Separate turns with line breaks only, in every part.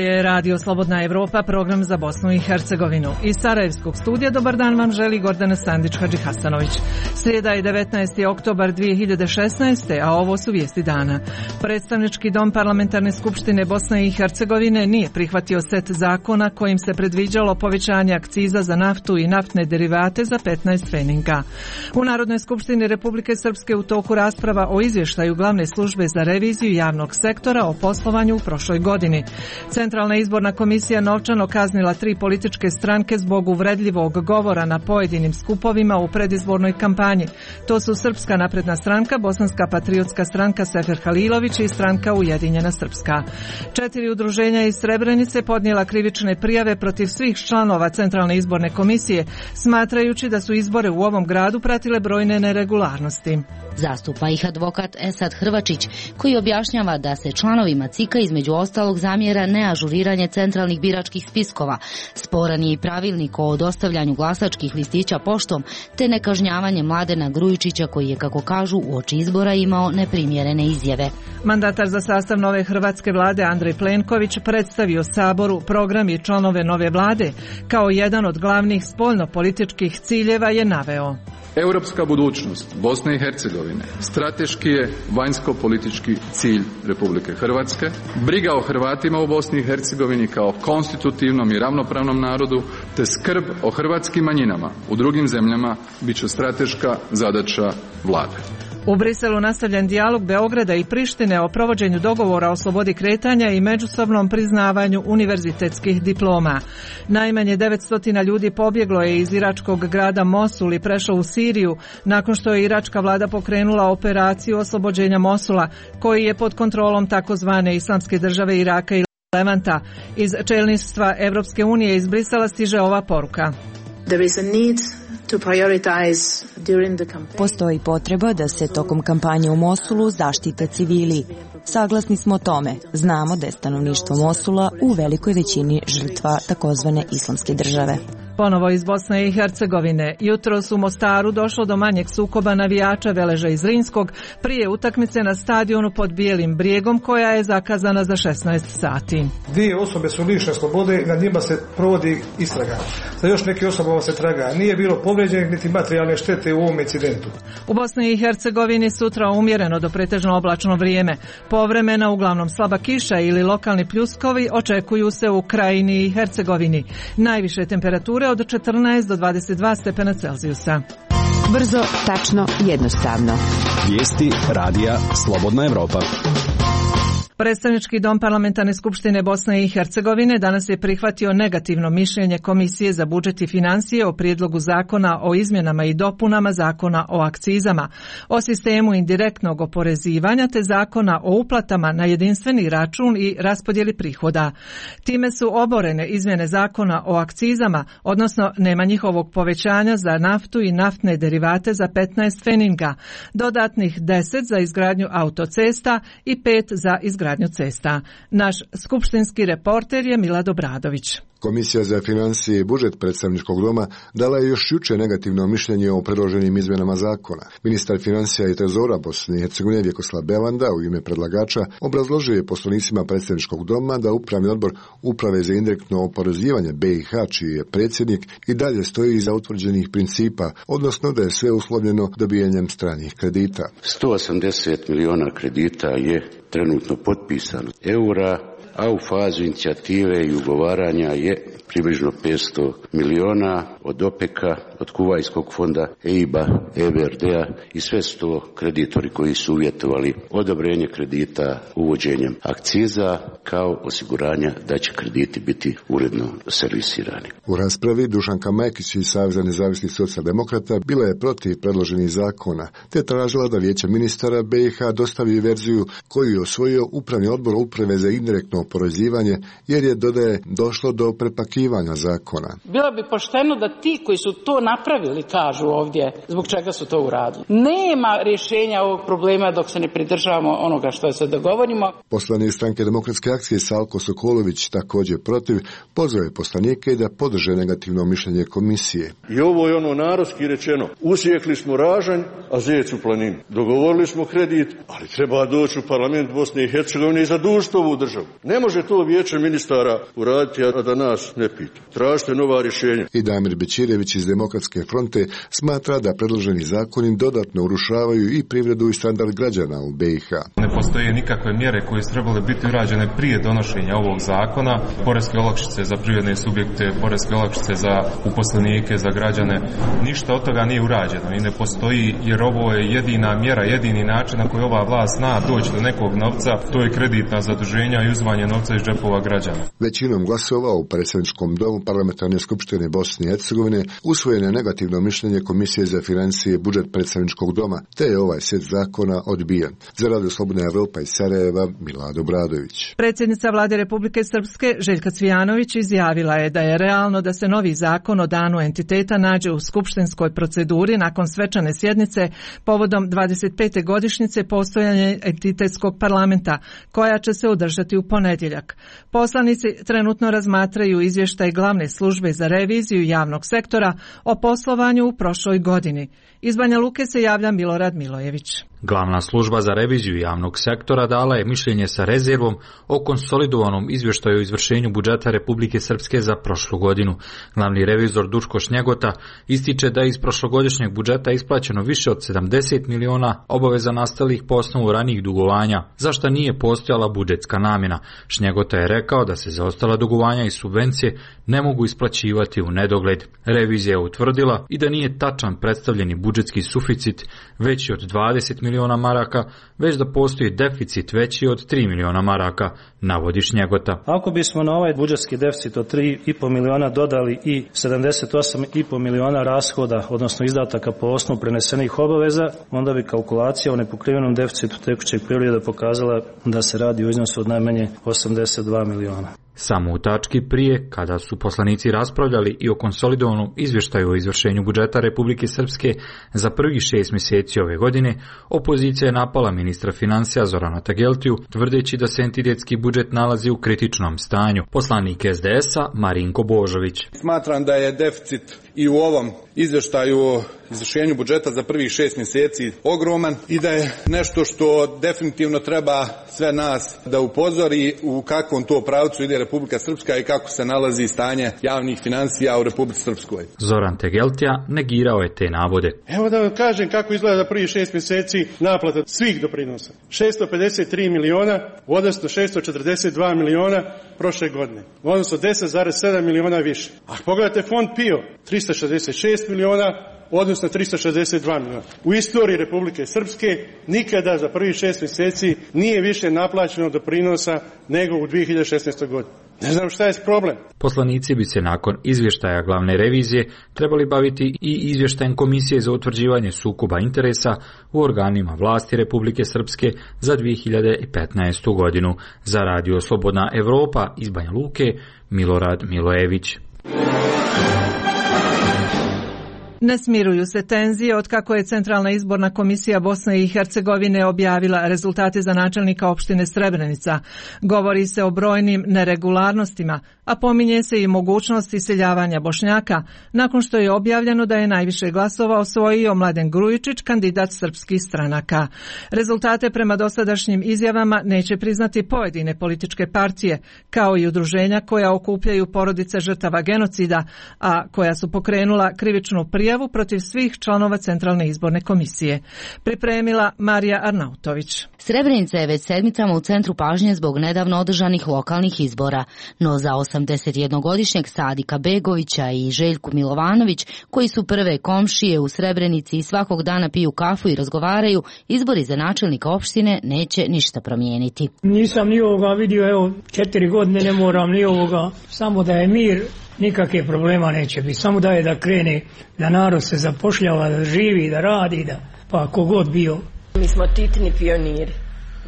je Radio Slobodna Evropa, program za Bosnu i Hercegovinu. Iz Sarajevskog studija dobar dan vam želi Gordana Sandić-Hadžihasanović. Srijeda je 19. oktobar 2016. a ovo su vijesti dana. Predstavnički dom Parlamentarne skupštine Bosne i Hercegovine nije prihvatio set zakona kojim se predviđalo povećanje akciza za naftu i naftne derivate za 15 pfeninga. U Narodnoj skupštini Republike Srpske u toku rasprava o izvještaju glavne službe za reviziju javnog sektora o poslovanju u prošloj godini. Centralna izborna komisija novčano kaznila 3 političke stranke zbog uvredljivog govora na pojedinim skupovima u predizbornoj kampanji. To su Srpska napredna stranka, Bosanska patriotska stranka Sefer Halilović i stranka Ujedinjena Srpska. 4 udruženja iz Srebrenice podnijela krivične prijave protiv svih članova Centralne izborne komisije, smatrajući da su izbore u ovom gradu pratile brojne neregularnosti.
Zastupa ih advokat Esad Hrvačić, koji objašnjava da se članovima CIK-a između ostalog zamjera neažuriranje centralnih biračkih spiskova, sporan je i pravilnik o dostavljanju glasačkih listića poštom, te nekažnjavanje Mladena Grujičića koji je, kako kažu, uoči izbora imao neprimjerene izjave.
Mandatar za sastav nove hrvatske vlade Andrej Plenković predstavio Saboru program i članove nove vlade. Kao jedan od glavnih spoljno-političkih ciljeva je naveo:
Europska budućnost Bosne i Hercegovine strateški je vanjsko-politički cilj Republike Hrvatske. Briga o Hrvatima u Bosni i Hercegovini kao konstitutivnom i ravnopravnom narodu te skrb o hrvatskim manjinama u drugim zemljama bit će strateška zadaća vlade.
U Briselu nastavljen dijalog Beograda i Prištine o provođenju dogovora o slobodi kretanja i međusobnom priznavanju univerzitetskih diploma. Najmanje 900 ljudi pobjeglo je iz iračkog grada Mosul i prešlo u Siriju nakon što je iračka vlada pokrenula operaciju oslobođenja Mosula, koji je pod kontrolom takozvane Islamske države Iraka i Levanta. Iz čelništva Evropske unije iz Brisela stiže ova poruka:
Postoji potreba da se tokom kampanje u Mosulu zaštite civili. Saglasni smo tome. Znamo da je stanovništvo Mosula u velikoj većini žrtva takozvane Islamske države.
Ponovo iz Bosne i Hercegovine. Jutros u Mostaru došlo do manjeg sukoba navijača Veleža iz Zrinskog prije utakmice na stadionu pod Bijelim brijegom koja je zakazana za 16 sati.
2 osobe su lišene slobode i nad njima se provodi istraga. Za još neke osobama se traga. Nije bilo povrijeđenih niti materijalne štete u ovom incidentu.
U Bosni i Hercegovini sutra umjereno do pretežno oblačno vrijeme. Povremena uglavnom slaba kiša ili lokalni pljuskovi očekuju se u Krajini i Hercegovini. Najviše temperature od 14 do 22 stepena Celzijusa.
Brzo, tačno, jednostavno.
Vijesti radija Slobodna Evropa.
Predstavnički dom Parlamentarne skupštine Bosne i Hercegovine danas je prihvatio negativno mišljenje Komisije za budžet i financije o prijedlogu zakona o izmjenama i dopunama zakona o akcizama, o sistemu indirektnog oporezivanja te zakona o uplatama na jedinstveni račun i raspodjeli prihoda. Time su oborene izmjene zakona o akcizama, odnosno nema njihovog povećanja za naftu i naftne derivate za 15 pfeninga, dodatnih 10 za izgradnju autocesta i 5 za izgradnju cesta. Naš skupštinski reporter je Milad Obradović.
Komisija za financije i budžet predstavničkog doma dala je još jučer negativno mišljenje o predloženim izmjenama zakona. Ministar financija i trezora Bosne i Hercegovine Vjekoslav Belanda u ime predlagača obrazložio je poslanicima predstavničkog doma da Upravni odbor Uprave za indirektno oporezivanje BiH, čiji je predsjednik, i dalje stoji iza utvrđenih principa, odnosno da je sve uslovljeno dobijanjem stranih kredita.
180 miliona kredita je trenutno potpisano eura, a u fazu inicijative i ugovaranja je približno 500 miliona od OPEC-a, od Kuvajskog fonda, EIB-a, EBRD-a i sve su to kreditori koji su uvjetovali odobrenje kredita uvođenjem akciza kao osiguranja da će krediti biti uredno servisirani.
U raspravi Dušanka Majkić iz Saveza nezavisnih socijaldemokrata bila je protiv predloženih zakona, te tražila da Vijeće ministara BiH dostavi verziju koju je osvojio Upravni odbor Uprave za indirektno oporezivanje, jer je, dodaje, došlo do prepakivanja zakona.
Bilo bi pošteno da ti koji su to napravili kažu ovdje zbog čega su to uradili. Nema rješenja ovog problema dok se ne pridržavamo onoga što se dogovorimo.
Poslanik stranke Demokratske akcije Salko Sokolović, također protiv, pozvao je poslanike da podrže negativno mišljenje komisije.
I ovo je ono narodski rečeno: usjekli smo ražanj, a zec u planini. Dogovorili smo kredit, ali treba doći u parlament Bosne i Hercegovine i zadužiti ovu državu. Ne može to vijeće ministara uraditi, a da nas ne pita. Tražite nova rješenja.
I Damir Bećirević iz Demokratske fronte smatra da predloženi zakoni dodatno urušavaju i privredu i standard građana u BiH.
Ne postoje nikakve mjere koje su trebale biti urađene prije donošenja ovog zakona. Poreske olakšice za privredne subjekte, poreske olakšice za uposlenike, za građane. Ništa od toga nije urađeno i ne postoji, jer ovo je jedina mjera, jedini način na koji ova vlast zna doći do nekog novca, to je kreditna zaduženja i uzimanje novca iz džepova građana. Većinom
glasova u predsjedničkom domu Parlamentarne skupštine Bosne i Hercegovine usvojeno je negativno mišljenje Komisije za financije i budžet predsjedničkog doma, te je ovaj set zakona odbijen. Za Radio Slobodna Evropa iz Sarajeva, Milad Obradović.
Predsjednica Vlade Republike Srpske Željka Cvijanović izjavila je da je realno da se novi zakon o danu entiteta nađe u skupštinskoj proceduri nakon svečane sjednice povodom 25. godišnjice postojanja entitetskog parlamenta, koja će se održati u ponedjeljak. Poslanici trenutno razmatraju izvještaj glavne službe za reviziju javnog sektora o poslovanju u prošloj godini. Iz Banja Luke se javlja Milorad Milojević.
Glavna služba za reviziju javnog sektora dala je mišljenje sa rezervom o konsolidovanom izvještaju o izvršenju budžeta Republike Srpske za prošlu godinu. Glavni revizor Duško Šnjegota ističe da je iz prošlogodišnjeg budžeta isplaćeno više od 70 miliona obaveza nastalih po osnovu ranijih dugovanja, za šta nije postojala budžetska namjena. Šnjegota je rekao da se zaostala dugovanja i subvencije ne mogu isplaćivati u nedogled. Revizija je utvrdila i da nije tačan predstavljeni budžetski suficit veći od 20 miliona maraka, već da postoji deficit veći od 3 miliona maraka, navodi Šnjegota.
Ako bismo na ovaj budžetski deficit od 3,5 miliona dodali i 78,5 miliona rashoda, odnosno izdataka po osnovu prenesenih obaveza, onda bi kalkulacija o nepokrivenom deficitu tekućeg perioda pokazala da se radi o iznosu od najmanje 82 miliona.
Samo u tački prije, kada su poslanici raspravljali i o konsolidovanom izvještaju o izvršenju budžeta Republike Srpske za prvih 6 mjeseci ove godine, opozicija je napala ministra financija Zorana Tageltiju, tvrdeći da se entitetski budžet nalazi u kritičnom stanju. Poslanik SDS-a Marinko Božović.
Smatram da je deficit i u ovom izvještaju o izvršenju budžeta za prvih 6 mjeseci ogroman i da je nešto što definitivno treba sve nas da upozori u kakvom to pravcu ide Republika Srpska i kako se nalazi stanje javnih financija u Republici Srpskoj.
Zoran Tegeltija negirao je te navode.
Evo da vam kažem kako izgleda za prvih 6 mjeseci naplata svih doprinosa. 653 miliona, odnosno 642 miliona prošle godine. Odnosno 10,7 miliona više. A pogledajte fond PIO, 366 miliona, odnosno 362 miliona. U istoriji Republike Srpske nikada za prvih 6 mjeseci nije više naplaćeno doprinosa nego u 2016. godini. Ne znam šta je problem.
Poslanici bi se nakon izvještaja glavne revizije trebali baviti i izvještajem Komisije za utvrđivanje sukoba interesa u organima vlasti Republike Srpske za 2015. godinu. Za Radio Slobodna Evropa iz Banja Luke, Milorad Milojević.
Ne smiruju se tenzije otkako je Centralna izborna komisija Bosne i Hercegovine objavila rezultate za načelnika opštine Srebrenica. Govori se o brojnim neregularnostima, a pominje se i mogućnost iseljavanja Bošnjaka, nakon što je objavljeno da je najviše glasova osvojio Mladen Grujičić, kandidat srpskih stranaka. Rezultate prema dosadašnjim izjavama neće priznati pojedine političke partije, kao i udruženja koja okupljaju porodice žrtava genocida, a koja su pokrenula krivičnu prijavu protiv svih članova Centralne izborne komisije. Pripremila Marija Arnautović.
Srebrenica je već sedmicama u centru pažnje zbog nedavno održanih lokalnih izbora, no za 81-godišnjeg Sadika Begovića i Željku Milovanović, koji su prve komšije u Srebrenici i svakog dana piju kafu i razgovaraju, izbori za načelnika opštine neće ništa promijeniti.
Nisam ni ovoga vidio, evo 4 godine ne moram ni ovoga, samo da je mir, nikakve problema neće biti, samo da krene, da narod se zapošljava, da živi, da radi, pa kogod bio.
Mi smo titni pioniri,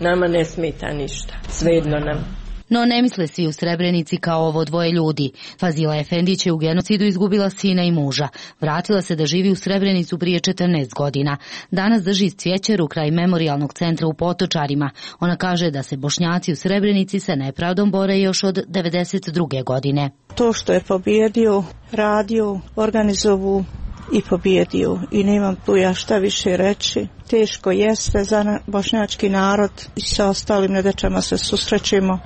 nama ne smeta ništa, svejedno nam.
No ne misle svi u Srebrenici kao ovo dvoje ljudi. Fazila Efendić je u genocidu izgubila sina i muža. Vratila se da živi u Srebrenicu prije 14 godina. Danas drži cvjećaru kraj memorijalnog centra u Potočarima. Ona kaže da se Bošnjaci u Srebrenici sa nepravdom bore još od 92. godine.
To što je pobjedio, radio, organizovu i pobjedio i nemam tu ja šta više reći. Teško jeste za bošnjački narod i sa ostalim nedaćama se susrećemo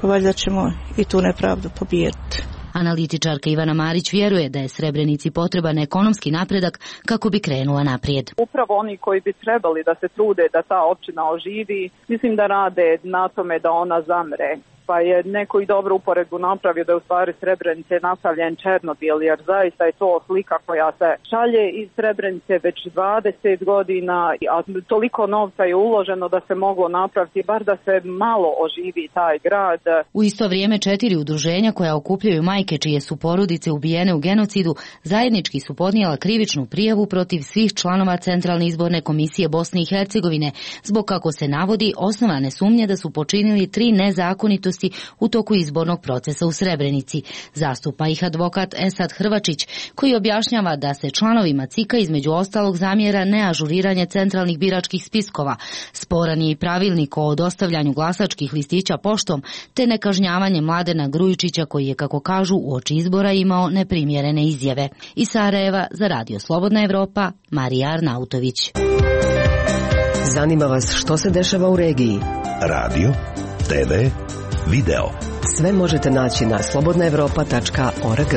pa valjda ćemo i tu nepravdu pobijediti.
Analitičarka Ivana Marić vjeruje da je Srebrenici potreban ekonomski napredak kako bi krenula naprijed.
Upravo oni koji bi trebali da se trude da ta općina oživi, mislim da rade na tome da ona zamre. Pa je neko i dobro uporedbu napravio da je u stvari Srebrenice napravljen Černobil, jer zaista je to slika koja se šalje iz Srebrenice već 20 godina, a toliko novca je uloženo da se moglo napraviti, bar da se malo oživi taj grad.
U isto vrijeme 4 udruženja koja okupljaju majke čije su porodice ubijene u genocidu zajednički su podnijela krivičnu prijavu protiv svih članova Centralne izborne komisije Bosne i Hercegovine, zbog, kako se navodi, osnovane sumnje da su počinili 3 nezakonitosti u toku izbornog procesa u Srebrenici. Zastupa ih advokat Esad Hrvačić, koji objašnjava da se članovima CIK-a između ostalog zamjera neažuriranje centralnih biračkih spiskova, sporan je i pravilnik o dostavljanju glasačkih listića poštom, te nekažnjavanje Mladena Grujičića koji je, kako kažu, uoči izbora imao neprimjerene izjave. Iz Sarajeva za Radio Slobodna Evropa, Marija Arnautović.
Zanima vas što se dešava u regiji? Radio, TV, video. Sve možete naći na slobodnaevropa.org.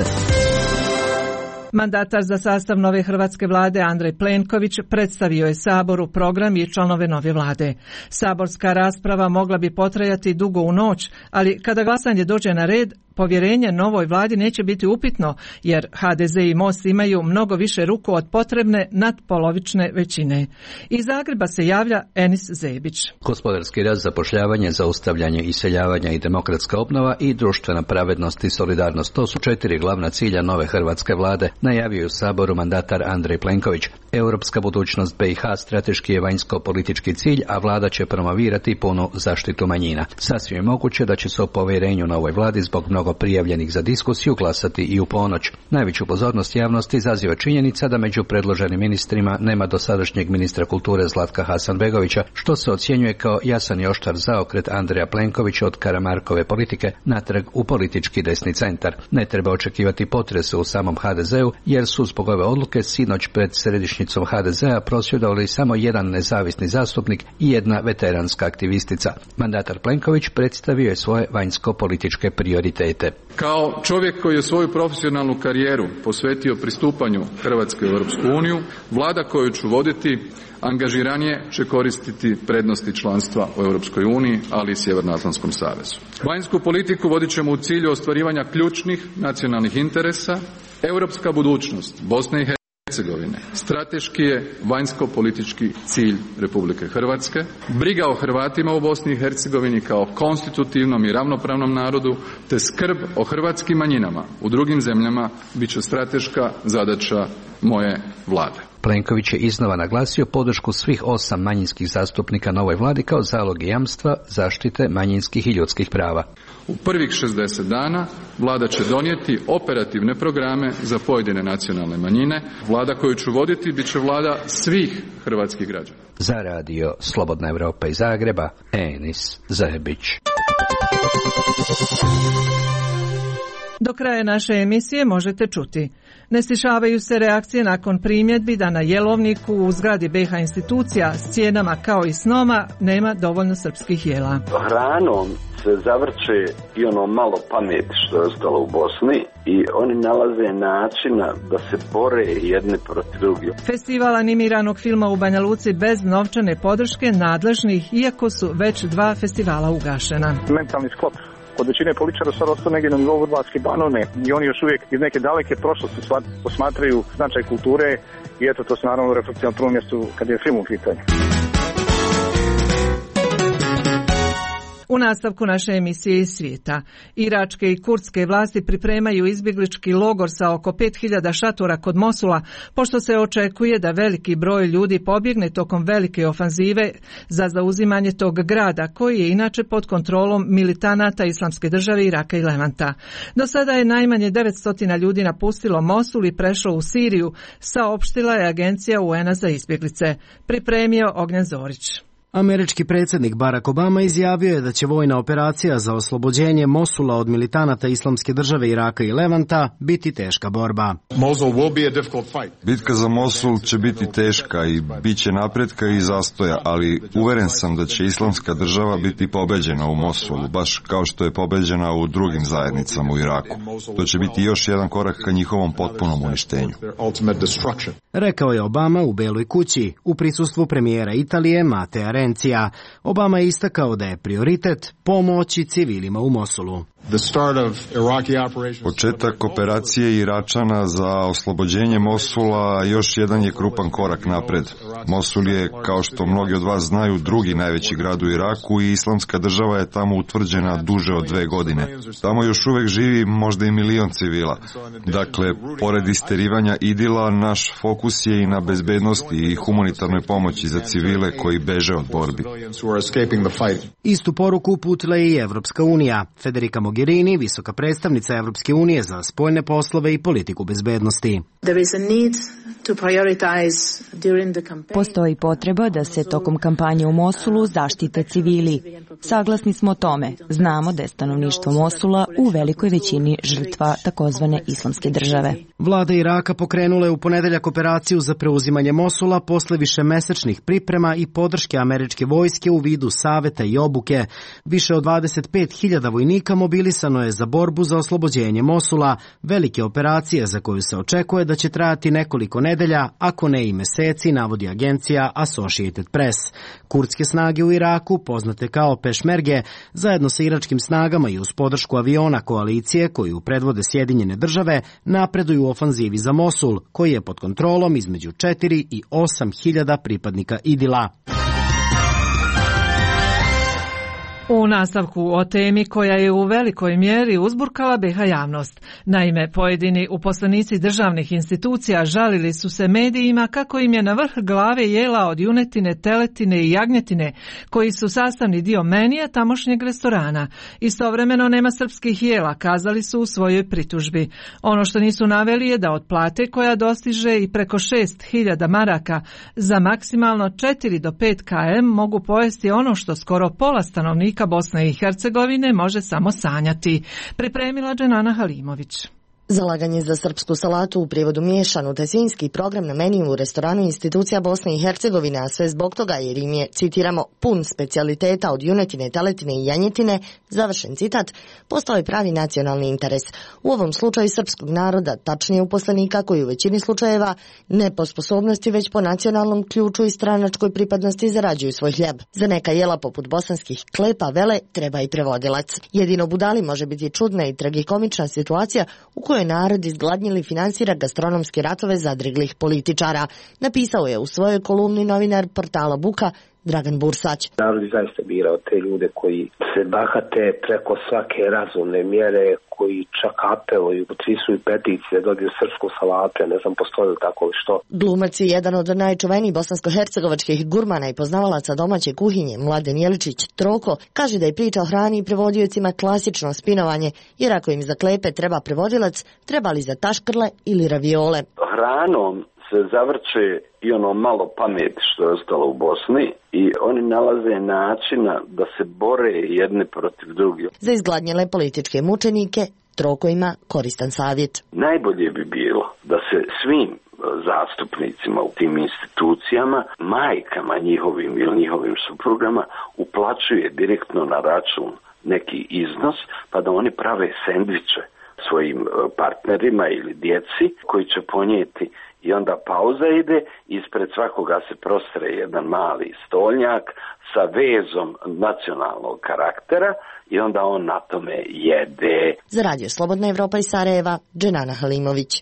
Mandatar za sastav nove hrvatske vlade Andrej Plenković predstavio je Saboru program i članove nove vlade. Saborska rasprava mogla bi potrajati dugo u noć, ali kada glasanje dođe na red, povjerenje novoj vladi neće biti upitno, jer HDZ i Most imaju mnogo više ruku od potrebne nadpolovične većine. Iz Zagreba se javlja Enis Zebić.
Gospodarski rast, zapošljavanje, zaustavljanje iseljavanja i demokratska obnova i društvena pravednost i solidarnost. To su 4 glavna cilja nove hrvatske vlade, najavio u Saboru mandatar Andrej Plenković. Europska budućnost BiH strateški je vanjsko-politički cilj, a vlada će promovirati punu zaštitu manjina. Sasvim je moguće da će se o povjerenju novoj vladi zbog mnogo prijavljenih za diskusiju glasati i u ponoć. Najveću pozornost javnosti izaziva činjenica da među predloženim ministrima nema dosadašnjeg ministra kulture Zlatka Hasanbegovića, što se ocjenjuje kao jasan i oštar zaokret Andreja Plenkovića od Karamarkove politike natrag u politički desni centar. Ne treba očekivati potrese u samom HDZ-u, jer su zbog ove odluke sinoć pred središnjicom HDZ-a prosvjedovali samo jedan nezavisni zastupnik i jedna veteranska aktivistica. Mandatar Plenković predstavio je svoje vanjsko-političke prioritete.
Kao čovjek koji je svoju profesionalnu karijeru posvetio pristupanju Hrvatske u Europsku uniju, vlada koju ću voditi angažiranije će koristiti prednosti članstva u Europskoj uniji, ali i Sjevernoatlantskom savezu. Vanjsku politiku vodit ćemo u cilju ostvarivanja ključnih nacionalnih interesa. Europska budućnost Bosne i Hercegovine strateški je vanjsko-politički cilj Republike Hrvatske. Briga o Hrvatima u Bosni i Hercegovini kao konstitutivnom i ravnopravnom narodu, te skrb o hrvatskim manjinama u drugim zemljama bit će strateška zadaća moje vlade.
Plenković je iznova naglasio podršku svih 8 manjinskih zastupnika novoj vladi kao zalog i jamstva zaštite manjinskih i ljudskih prava.
U prvih 60 dana vlada će donijeti operativne programe za pojedine nacionalne manjine. Vlada koju ću voditi bit će vlada svih hrvatskih građana.
Za Radio Slobodna Evropa iz Zagreba, Enis Zebić.
Do kraja naše emisije možete čuti: ne stišavaju se reakcije nakon primjedbi da na jelovniku u zgradi BiH institucija s cijenama kao i snoma nema dovoljno srpskih jela.
Hranom se zavrće i ono malo pameti što je ostalo u Bosni i oni nalaze načina da se bore jedni protiv drugih.
Festival animiranog filma u Banja Luci bez novčane podrške nadležnih, iako su već 2 festivala ugašena.
Mentalni sklop kod većine političara sad ostao negdje na nivou Vrbatske Banovine i oni još uvijek iz neke daleke prošlosti posmatraju značaj kulture i eto to se naravno reflektira na prvom mjestu kad je film u pitanju.
U nastavku naše emisije iz svijeta, iračke i kurdske vlasti pripremaju izbjeglički logor sa oko 5000 šatora kod Mosula, pošto se očekuje da veliki broj ljudi pobjegne tokom velike ofanzive za zauzimanje tog grada, koji je inače pod kontrolom militanata Islamske države Iraka i Levanta. Do sada je najmanje 900 ljudi napustilo Mosul i prešlo u Siriju, saopštila je agencija UN-a za izbjeglice. Pripremio Ognjen Zorić.
Američki predsjednik Barack Obama izjavio je da će vojna operacija za oslobođenje Mosula od militanata Islamske države Iraka i Levanta biti teška borba.
Bitka za Mosul će biti teška i bit će napretka i zastoja, ali uveren sam da će Islamska država biti pobeđena u Mosulu, baš kao što je pobeđena u drugim zajednicama u Iraku. To će biti još jedan korak ka njihovom potpunom uništenju.
Rekao je Obama u Beloj kući u prisustvu premijera Italije Matea Renzija. Obama je istakao da je prioritet pomoći civilima u Mosulu.
Početak operacije Iračana za oslobođenje Mosula još jedan je krupan korak napred. Mosul je, kao što mnogi od vas znaju, drugi najveći grad u Iraku i Islamska država je tamo utvrđena duže od 2 godine. Tamo još uvek živi možda i 1 milion civila. Dakle, pored isterivanja idila, naš fokus je i na bezbednosti i humanitarnoj pomoći za civile koji beže od borbi.
Istu poruku uputila je i Evropska unija. Federica Mogherini, visoka predstavnica Evropske unije za spoljne poslove i politiku bezbednosti.
Postoji potreba da se tokom kampanje u Mosulu zaštite civili. Saglasni smo o tome. Znamo da je stanovništvo Mosula u velikoj većini žrtva takozvane Islamske države.
Vlada Iraka pokrenula je u ponedeljak operaciju za preuzimanje Mosula posle višemesečnih priprema i podrške američke vojske u vidu saveta i obuke. Više od 25.000 vojnika mobilisano je za borbu za oslobođenje Mosula, velike operacije za koju se očekuje da će trajati nekoliko nedelja, ako ne i meseci, navodi agencija Associated Press. Kurdske snage u Iraku, poznate kao pešmerge, zajedno sa iračkim snagama i uz podršku aviona koalicije koju predvode Sjedinjene države, napreduju u ofanzivi za Mosul, koji je pod kontrolom između 4 i 8.000 pripadnika IDIL-a.
U nastavku o temi koja je u velikoj mjeri uzburkala BiH javnost. Naime, pojedini uposlenici državnih institucija žalili su se medijima kako im je na vrh glave jela od junetine, teletine i jagnjetine, koji su sastavni dio menija tamošnjeg restorana. Istovremeno nema srpskih jela, kazali su u svojoj pritužbi. Ono što nisu naveli je da od plate koja dostiže i preko 6.000 maraka za maksimalno 4 do 5 km mogu pojesti ono što skoro pola stanovnika Bosne i Hercegovine može samo sanjati. Pripremila Dženana Halimović.
Zalaganje za srpsku salatu, u prijevodu miješanu, te svinjski program na meniju u restoranu institucija Bosne i Hercegovine, a sve zbog toga jer im je, citiramo, pun specijaliteta od junetine, teletine i janjetine, završen citat, postao je pravi nacionalni interes. U ovom slučaju srpskog naroda, tačnije uposlenika koji u većini slučajeva ne po sposobnosti već po nacionalnom ključu i stranačkoj pripadnosti zarađuju svoj hljeb. Za neka jela poput bosanskih klepa, vele, treba i prevodilac. Jedino budali može biti čudna i tragikomična situacija u kojoj narod izgladnjili finansira gastronomske ratove zadriglih političara, napisao je u svojoj kolumni novinar portala Buka Dragan Bursać.
Narod je zaista birao te ljude koji se bahate preko svake razumne mjere, koji čak apeluju, potpisuju peticije, dobiju srpsku salatu, ne znam postoji li tako što.
Glumac je jedan od najčuvenijih bosansko-hercegovačkih gurmana i poznavalaca domaće kuhinje, Mladen Jeličić Troko, kaže da je priča o hrani i prevodiocima klasično spinovanje, jer ako im za klepe treba prevodilac, treba li za taškrle ili raviole.
Hranom se zavrće i ono malo pameti što je ostalo u Bosni i oni nalaze načina da se bore jedni protiv drugih.
Za izgladnjele političke mučenike Troko ima koristan savjet.
Najbolje bi bilo da se svim zastupnicima u tim institucijama, majkama njihovim ili njihovim suprugama uplaćuje direktno na račun neki iznos, pa da oni prave sendviče svojim partnerima ili djeci koji će ponijeti. I onda pauza ide, ispred svakoga se prostre jedan mali stolnjak sa vezom nacionalnog karaktera i onda on na tome jede.
Za Radio Slobodna Evropa iz Sarajeva, Dženana Halimović.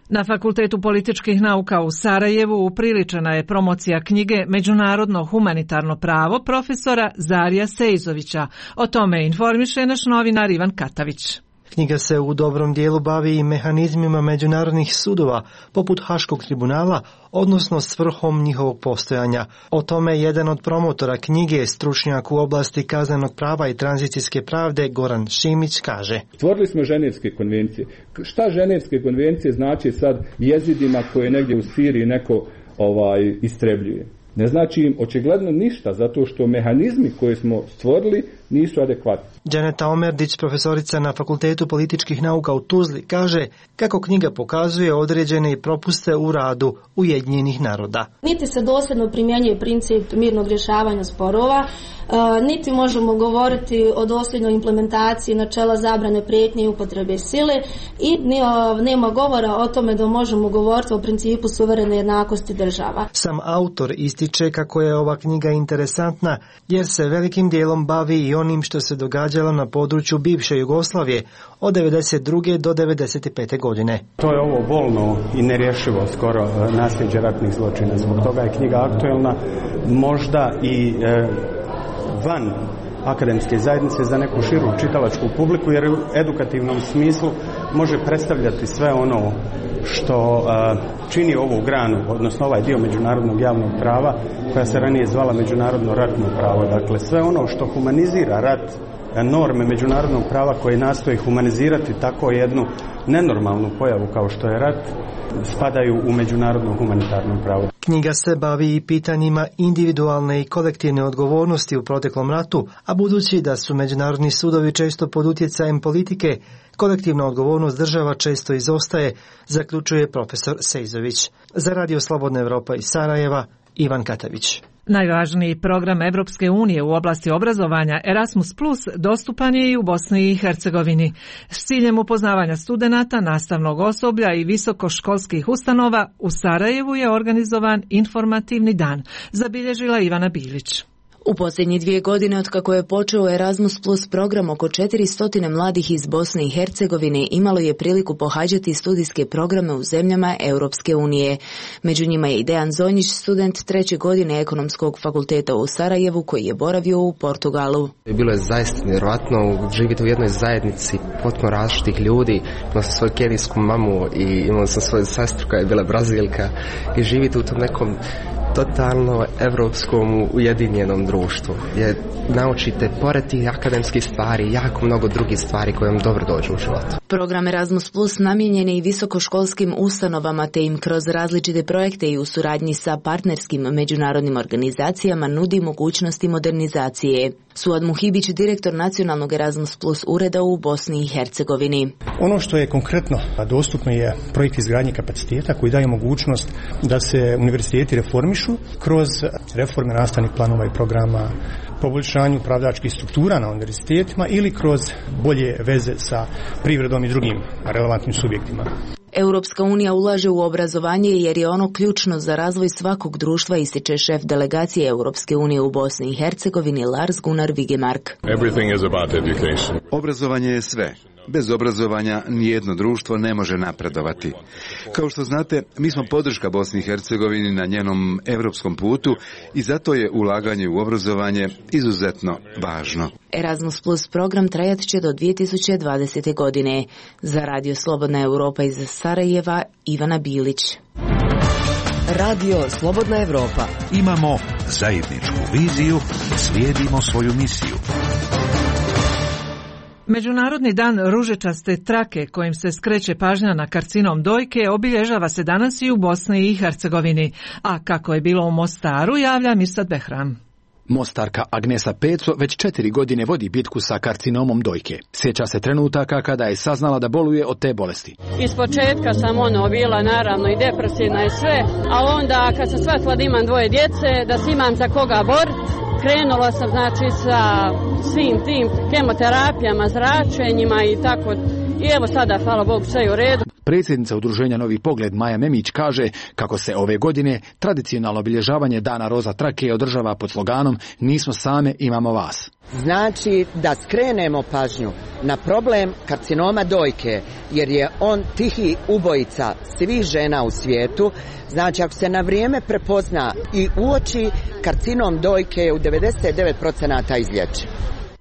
Na Fakultetu političkih nauka u Sarajevu upriličena je promocija knjige Međunarodno humanitarno pravo profesora Zarija Sejzovića. O tome informiše naš novinar Ivan Katavić.
Knjiga se u dobrom dijelu bavi i mehanizmima međunarodnih sudova, poput Haškog tribunala, odnosno svrhom njihovog postojanja. O tome jedan od promotora knjige, stručnjak u oblasti kaznenog prava i tranzicijske pravde, Goran Šimić, kaže.
Stvorili smo Ženevske konvencije. Šta Ženevske konvencije znači sad jezidima koje negdje u Siriji neko istrebljuje? Ne znači im očigledno ništa, zato što mehanizmi koje smo stvorili nisu adekvatni.
Dženeta Omerdić, profesorica na Fakultetu političkih nauka u Tuzli, kaže kako knjiga pokazuje određene propuste u radu Ujedinjenih naroda.
Niti se dosljedno primjenjuje princip mirnog rješavanja sporova, niti možemo govoriti o dosljednoj implementaciji načela zabrane prijetnje i upotrebe sile i nema govora o tome da možemo govoriti o principu suverene jednakosti država.
Sam autor ističe kako je ova knjiga interesantna jer se velikim dijelom bavi i onim što se događalo na području bivše Jugoslavije od 1992. do 1995. godine.
To je ovo bolno i nerješivo skoro nasljeđe ratnih zločina. Zbog toga je knjiga aktuelna, možda i van akademske zajednice za neku širu čitalačku publiku, jer u edukativnom smislu može predstavljati sve ono što čini ovu granu, odnosno ovaj dio međunarodnog javnog prava koja se ranije zvala međunarodno ratno pravo. Dakle, sve ono što humanizira rat, norme međunarodnog prava koje nastoji humanizirati tako jednu nenormalnu pojavu kao što je rat, spadaju u međunarodno humanitarno pravo.
Knjiga se bavi i pitanjima individualne i kolektivne odgovornosti u proteklom ratu, a budući da su međunarodni sudovi često pod utjecajem politike, kolektivna odgovornost država često izostaje, zaključuje profesor Sejzović. Za Radio Slobodna Evropa iz Sarajeva, Ivan Katavić.
Najvažniji program Evropske unije u oblasti obrazovanja Erasmus Plus dostupan je i u Bosni i Hercegovini. S ciljem upoznavanja studenata, nastavnog osoblja i visokoškolskih ustanova u Sarajevu je organizovan informativni dan, zabilježila Ivana Bilić.
U posljednje 2 godine od kako je počeo Erasmus Plus program, oko 400 mladih iz Bosne i Hercegovine imalo je priliku pohađati studijske programe u zemljama Europske unije. Među njima je i Dejan Zonjić, student 3. godine Ekonomskog fakulteta u Sarajevu koji je boravio u Portugalu.
Bilo je zaista nevjerojatno živjeti u jednoj zajednici potpuno različitih ljudi. Imao sam svoju kenijsku mamu i imao sam svoju sestru koja je bila Brazilka i živjeti u tom nekom totalno evropskom ujedinjenom društvu, gdje naučite pored tih akademskih stvari jako mnogo drugih stvari koje vam dobro dođu u životu.
Program Erasmus Plus namijenjen je i visokoškolskim ustanovama te im kroz različite projekte i u suradnji sa partnerskim međunarodnim organizacijama nudi mogućnosti modernizacije. Suad Muhibić, direktor nacionalnog Erasmus Plus ureda u Bosni i Hercegovini.
Ono što je konkretno dostupno je projekt izgradnje kapaciteta koji daje mogućnost da se univerziteti reformišu kroz reforme nastavnih planova i programa, poboljšanju upravljačkih struktura na univerzitetima ili kroz bolje veze sa privredom i drugim relevantnim subjektima.
Europska unija ulaže u obrazovanje jer je ono ključno za razvoj svakog društva, ističe šef delegacije Europske unije u Bosni i Hercegovini Lars Gunnar Vigemark.
Obrazovanje je sve. Bez obrazovanja nijedno društvo ne može napredovati. Kao što znate, mi smo podrška Bosni i Hercegovini na njenom europskom putu i zato je ulaganje u obrazovanje izuzetno važno.
Erasmus Plus program trajat će do 2020. godine. Za Radio Slobodna Europa iz Sarajeva, Ivana Bilić.
Radio Slobodna Europa.
Imamo zajedničku viziju, slijedimo svoju misiju.
Međunarodni dan ružičaste trake kojim se skreće pažnja na karcinom dojke obilježava se danas i u Bosni i Hercegovini, a kako je bilo u Mostaru javlja Mirsad Behram.
Mostarka Agnesa Peco već 4 godine vodi bitku sa karcinomom dojke. Sjeća se trenutaka kada je saznala da boluje od te bolesti.
Ispočetka sam bila naravno i depresivna i sve, a onda kad sam shvatila da imam 2 djece, da si imam za koga boriti, krenula sam sa svim tim kemoterapijama, zračenjima i tako. I evo sada, hvala Bogu, sve je u redu.
Predsjednica udruženja Novi pogled Maja Memić kaže kako se ove godine tradicionalno obilježavanje Dana roza trake održava pod sloganom "Nismo same, imamo vas".
Znači da skrenemo pažnju na problem karcinoma dojke, jer je on tihi ubojica svih žena u svijetu. Znači ako se na vrijeme prepozna i uoči, karcinom dojke je u 99% izlječiv.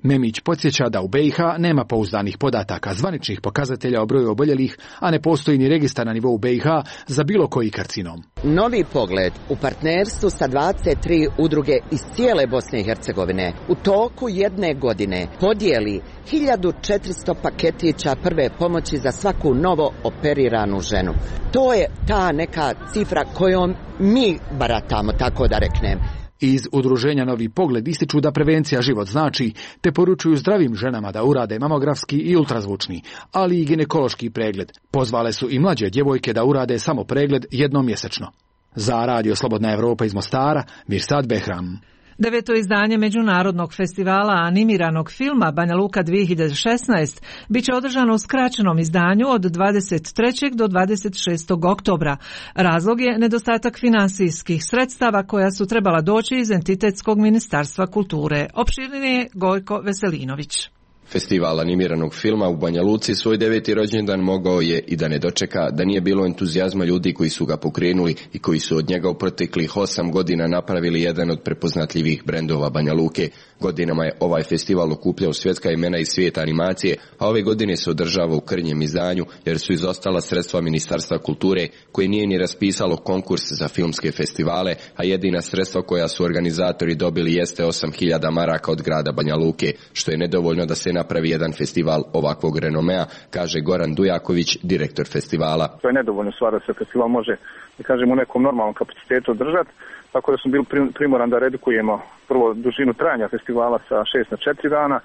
Memić podsjeća da u BiH nema pouzdanih podataka, zvaničnih pokazatelja o broju oboljelih, a ne postoji ni registar na nivou BiH za bilo koji karcinom.
Novi pogled u partnerstvu sa 23 udruge iz cijele Bosne i Hercegovine u toku jedne godine podijeli 1400 paketića prve pomoći za svaku novo operiranu ženu. To je ta neka cifra kojom mi baratamo, tako da reknem.
Iz udruženja Novi pogled ističu da prevencija život znači, te poručuju zdravim ženama da urade mamografski i ultrazvučni, ali i ginekološki pregled. Pozvale su i mlađe djevojke da urade samo pregled jednom mjesečno. Za Radio Slobodna Evropa iz Mostara, Mirsad Behram.
9. izdanje Međunarodnog festivala animiranog filma Banja Luka 2016 bit će održano u skraćenom izdanju od 23. do 26. oktobra. Razlog je nedostatak finansijskih sredstava koja su trebala doći iz Entitetskog ministarstva kulture. Opširnije Gojko Veselinović.
Festival animiranog filma u Banja Luci svoj 9. rođendan mogao je i da ne dočeka da nije bilo entuzijazma ljudi koji su ga pokrenuli i koji su od njega u proteklih 8 godina napravili jedan od prepoznatljivih brendova Banja Luke. Godinama je ovaj festival okupljao svjetska imena iz svijeta animacije, a ove godine se održava u krnjem izdanju jer su izostala sredstva Ministarstva kulture koje nije ni raspisalo konkurs za filmske festivale, a jedina sredstva koja su organizatori dobili jeste 8.000 maraka od grada Banja Luke, što je nedovoljno da se napravi jedan festival ovakvog renomea, kaže Goran Dujaković, direktor festivala.
To je nedovoljno stvar da se festival može, da kažem, u nekom normalnom kapacitetu održati, tako da smo bili primoran da redukujemo prvo dužinu trajanja festivala sa 6 na 4 dana,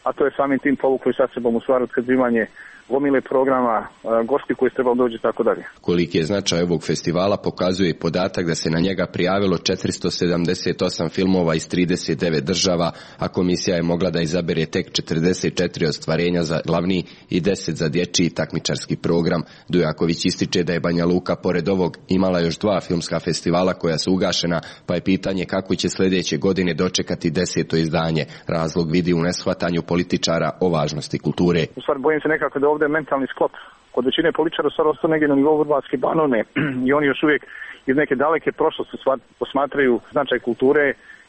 a to je samim tim povukli sa sebom u stvar otkazivanje gomile programa, gosti koji su trebali doći i tako dalje.
Koliki je značaj ovog festivala pokazuje i podatak da se na njega prijavilo 478 filmova iz 39 država, a komisija je mogla da izabere tek 44 ostvarenja za glavni i 10 za dječji takmičarski program. Dujaković ističe da je Banja Luka pored ovog imala još 2 filmska festivala koja su ugašena, pa je pitanje kako će sljedeće godine dočekati 10. izdanje. Razlog vidi u neshvatanju političara o važnosti kulture.
U stvari bojim se nekako da ovdje je mentalni sklop. Kod većine političara stvar ostao negdje na nivou Vrbatske Banovine i oni još uvijek iz neke daleke prošlosti posmatraju značaj kulture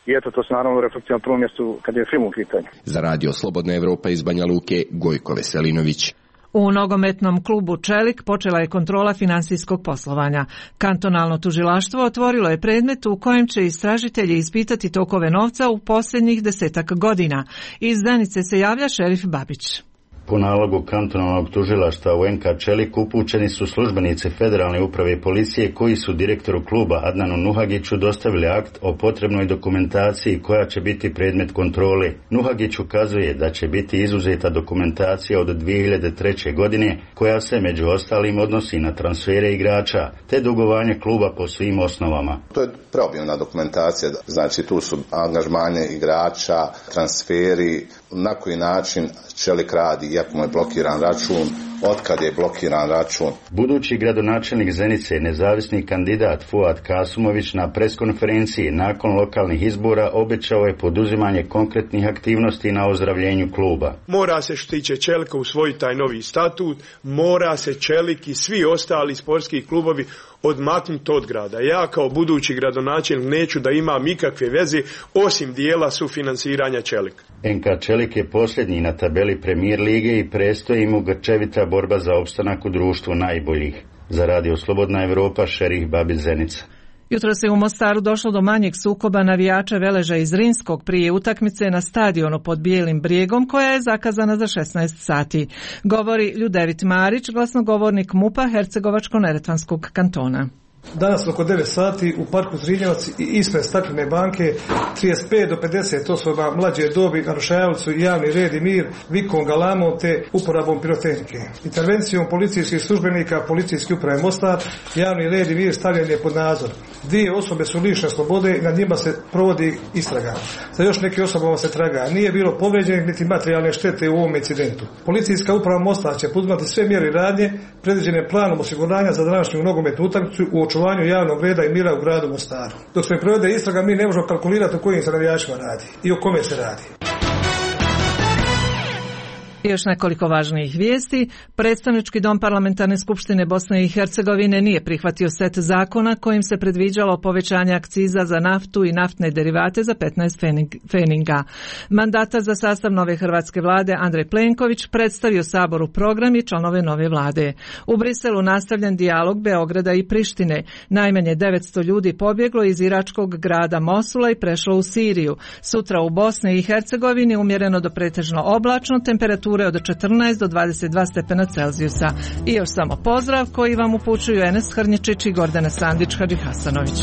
i eto to se naravno reflektira na prvom mjestu kad je film u pitanju.
Za Radio Slobodna Evropa iz Banja Luke, Gojko Veselinović.
U nogometnom klubu Čelik počela je kontrola finansijskog poslovanja. Kantonalno tužilaštvo otvorilo je predmet u kojem će istražitelji ispitati tokove novca u posljednjih 10 godina. Iz Zenice se javlja šerif Babić.
Po nalogu kantonalnog tužilaštva u NK Čelik upućeni su službenici Federalne uprave policije koji su direktoru kluba Adnanu Nuhagiću dostavili akt o potrebnoj dokumentaciji koja će biti predmet kontrole. Nuhagić ukazuje da će biti izuzeta dokumentacija od 2003. godine koja se među ostalim odnosi na transfere igrača te dugovanje kluba po svim osnovama.
To je preobimna dokumentacija, znači tu su angažmane igrača, transferi, na koji način Čelik radi, iako mu je blokiran račun, otkad je blokiran račun.
Budući gradonačelnik Zenice, nezavisni kandidat Fuad Kasumović na preskonferenciji nakon lokalnih izbora obećao je poduzimanje konkretnih aktivnosti na ozdravljenju kluba.
Mora se što tiče Čelika usvojiti taj novi statut, mora se Čelik i svi ostali sportski klubovi odmaknuti od grada. Ja kao budući gradonačelnik neću da imam ikakve veze osim dijela sufinansiranja Čelika.
NK Čelik je posljednji na tabeli Premijer lige i prestoji mu grčevita borba za opstanak u društvu najboljih. Za Radio Slobodna Evropa, šerif Babić, Zenica.
Jutro se u Mostaru došlo do manjeg sukoba navijača Veleža iz Rinskog prije utakmice na stadionu pod Bijelim brijegom koja je zakazana za 16 sati. Govori Ljudevit Marić, glasnogovornik MUP-a Hercegovačko-neretvanskog kantona.
Danas oko 9 sati u parku Zrinjevac i ispred Staklene banke 35 do 50 osoba mlađe dobi narušavali su javni red i mir vikom, galamom te uporabom pirotehnike. Intervencijom policijskih službenika policijske uprave Mostar javni red i mir stavljen je pod nadzor. 2 osobe su lišene slobode i nad njima se provodi istraga. Za još neke osobama se traga. Nije bilo povrijeđenih niti materijalne štete u ovom incidentu. Policijska uprava Mostar će poduzimati sve mjere i radnje predviđene planom osiguranja za današnju nogometnu utakmicu u očuvanju javnog reda i mira u gradu Mostaru. Dok se provede istraga, mi ne možemo kalkulirati o kojim se navijačima radi i o kome se radi.
I još nekoliko važnijih vijesti. Predstavnički dom Parlamentarne skupštine Bosne i Hercegovine nije prihvatio set zakona kojim se predviđalo povećanje akciza za naftu i naftne derivate za 15 feninga. Mandatar za sastav nove hrvatske vlade Andrej Plenković predstavio Saboru program i članove nove vlade. U Briselu nastavljen dijalog Beograda i Prištine. Najmanje 900 ljudi pobjeglo iz iračkog grada Mosula i prešlo u Siriju. Sutra u Bosni i Hercegovini umjereno do pretežno oblačno, temperature od 14 do 22 stepena Celzijusa. I još samo pozdrav koji vam upućuju Enes Hrnječić i Gordana Sandić Hadžihasanović.